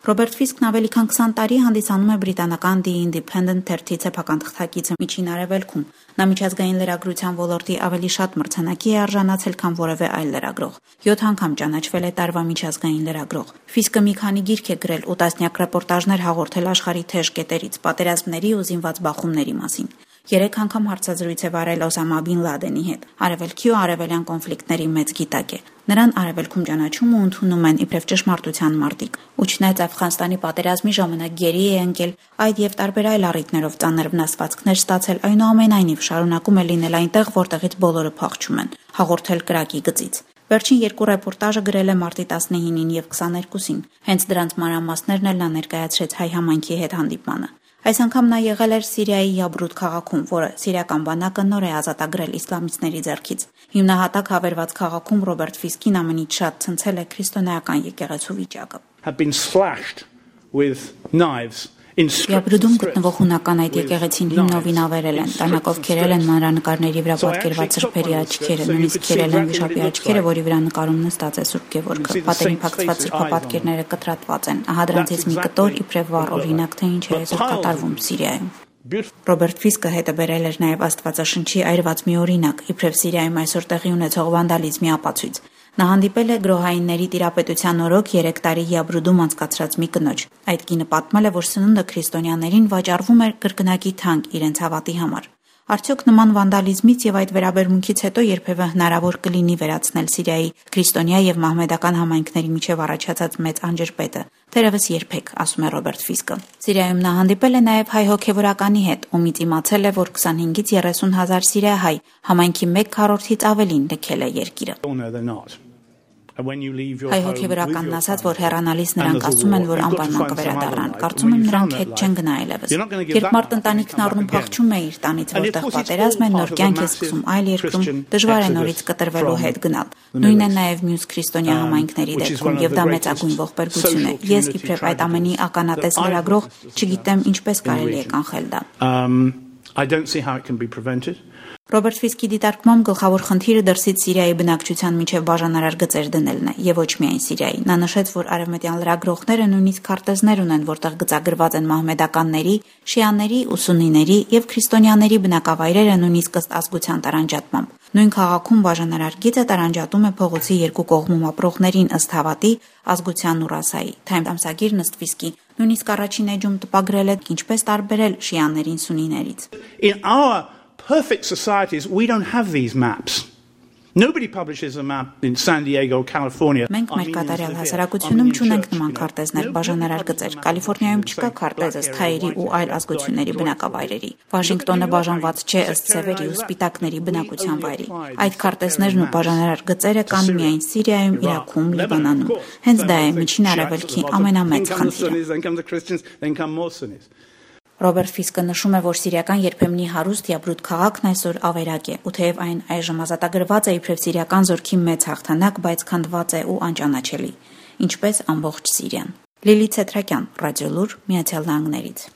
Ռոբերտ Ֆիսկն ավելի քան 20 տարի հանդիսանում է բրիտանական The Independent թերթի սեփական թղթակիցը Միջին Արևելքում։ Նա միջազգային լրագրության ոլորտի ավելի շատ մրցանակի է արժանացել, քան որևէ այլ լրագրող։ 7 անգամ ճանաչվել է տարվա միջազգային լրագրող։ Ֆիսկը մի քանի գիրք է գրել ու տասնյակ ռեպորտաժներ հաղորդել աշխարհի թեժ կետերից, պատերազմների ու զինված բախումների մասին։ 3 անգամ հարցազրույց է վարել Օսամա Բին Լադենի հետ։ Արևելքի ու արևելյան կոնֆլիկտների մեծ գիտակ է։ Նրան արևելքում ճանաչում ու ընդունում են իբրև ճշմարտության մարտիկ։ Ու չնայած Աֆղանստանի պատերազմի ժամանակ գերի է ընկել, այդ եւ տարբեր այլ առիթներով ծանր վնասվածքներ ստացել, այնուամենայնիվ շարունակում է լինել այնտեղ, որտեղից բոլորը փախչում են, հաղորդել կրակի գծից։ Վերջին 2 ռեպորտաժը գրել է մարտի 19-ին եւ 22-ին։ Հենց դրանց մանրամասներն էլ նա ներկայացրեց հայ համայնքի հետ հանդիպմանը։ Այս անգամ նա եղել էր Սիրիայի Յաբրուտ քաղաքում, որը սիրիական բանակը նոր է ազատագրել իսլամիստների ձեռքից։ Հիմնահատակ հավերված քաղաքում Ռոբերտ Ֆիսկին ամենից շատ ցնցել է քրիստոնեական եկեղեցու վիճակը։ Յաբրուդում գտնվող հունական այդ եկեղեցին հիմնովին ավերել են, տանակով քերել են մանրանկարների վրա պատկերված սրբերի աչքերը, նույնիսկ քերել են վիշապի աչքերը, որի վրա նկարում նստած է Սուրբ Գևորգը։ Պատերին փակցված սրբապատկերները կտրատված են։ Ահա դրանցից մի կտոր իբրև վառ օրինակ, թե ինչ է այսօր կատարվում Սիրիայում։ Ռոբերտ Ֆիսկը հետը բերել էր նաև Աստվածաշնչի այրված մի օրինակ, իբրև Սիրիայում այսօր տեղի ունեցող վանդալիզմի ապացույց։ Նա հանդիպել է գրոհայինների տիրապետության օրոք 3 տարի Յաբրուդում անցկացրած մի կնոջ։ Այդ կինը պատմել է, որ սնունդը քրիստոնյաներին վաճառվում էր կրկնակի թանկ իրենց հավատի համար։ Արդյոք նման վանդալիզմից եւ այդ վերաբերմունքից հետո երբևէ հնարավոր կլինի վերացնել Սիրիայի քրիստոնյա եւ մահմեդական համայնքների միջև առաջացած մեծ անջրպետը։ Թերևս երբեք, ասում է Ռոբերտ Ֆիսկը։ Սիրիայում նա հանդիպել է նաև հայ հոգևորականի հետ, ումից իմացել է, որ 25-ից 30 հազար սիրիահայ համայնքի 1/4-ից ավելին լքել է երկիրը։ Հայ հոգևորականն ասաց, որ հեռանալիս նրանք ասում են, որ անպայման կվերադառնան։ Կարծում եմ նրանք հետ չեն գնա այլևս։ Երբ մարդ ընտանիքն առնում փախչում է իր տանից, որտեղ պատերազմ է, նոր կյանք է սկսում այլ երկրում, դժվար է նորից կտրվելու հետ գնալ։ Նույնն է նաև մյուս քրիստոնյա համայնքների դեպքում, եւ դա մեծագույն ողբերգություն է։ Ես իբրև այդ ամենի ականատես լրագրող չգիտեմ ինչպես կարելի է կանխել դա։ Ռոբերտ Ֆիսկի դիտարկմամբ գլխավոր խնդիրը դրսից Սիրիայի բնակչության միջև բաժանարար գծեր դնելն է, եւ ոչ միայն Սիրիայի։ Նա նշեց, որ արևմտյան լրագրողները նույնիսկ քարտեզներ ունեն, որտեղ գծագրված են մահմեդականների, շիաների ու սուննիների եւ քրիստոնյաների բնակավայրերը նույնիսկ ըստ ազգության տարանջատմամբ։ Նույն քաղաքում բաժանարար գիծը տարանջատում է փողոցի երկու կողմում ապրողներին ըստ հավատի, ազգության ու ռասայի։ Time ամսագիրն ըստ Ֆիսկի նույնիսկ առաջին էջում տպագրել է ինչպես տարբերել շիաներին սուննիներից։ Perfect societies, we don't have these maps. Nobody publishes a map in San Diego, California. Մենք մեր կատարյալ հասարակությունում չունենք նման քարտեզներ, բաժանարար գծեր։ Կալիֆոռնիայում չկա քարտեզ ըստ հայերի ու այլ ազգությունների բնակավայրերի։ Վաշինգտոնը բաժանված չէ ըստ սևերի ու սպիտակների բնակության վայրի։ Այդ քարտեզներն ու բաժանարար գծերը կան միայն Սիրիայում, Իրաքում, Լիբանանում։ Հենց դա է Միջին Արևելքի ամենամեծ խնդիրը։ Ռոբերտ Ֆիսկը նշում է, որ սիրիական երբեմնի հարուստ Յաբրուտ քաղաքն այսօր ավերակ է, ու թեև այն այժմ ազատագրված է իբրև սիրիական զորքի մեծ հաղթանակ, բայց քանդված է ու անճանաչելի, ինչպես ամբողջ Սիրիան։ Լիլիթ Սեթրակյան, Ռադիոլուր, Միացյալ Նահանգներից։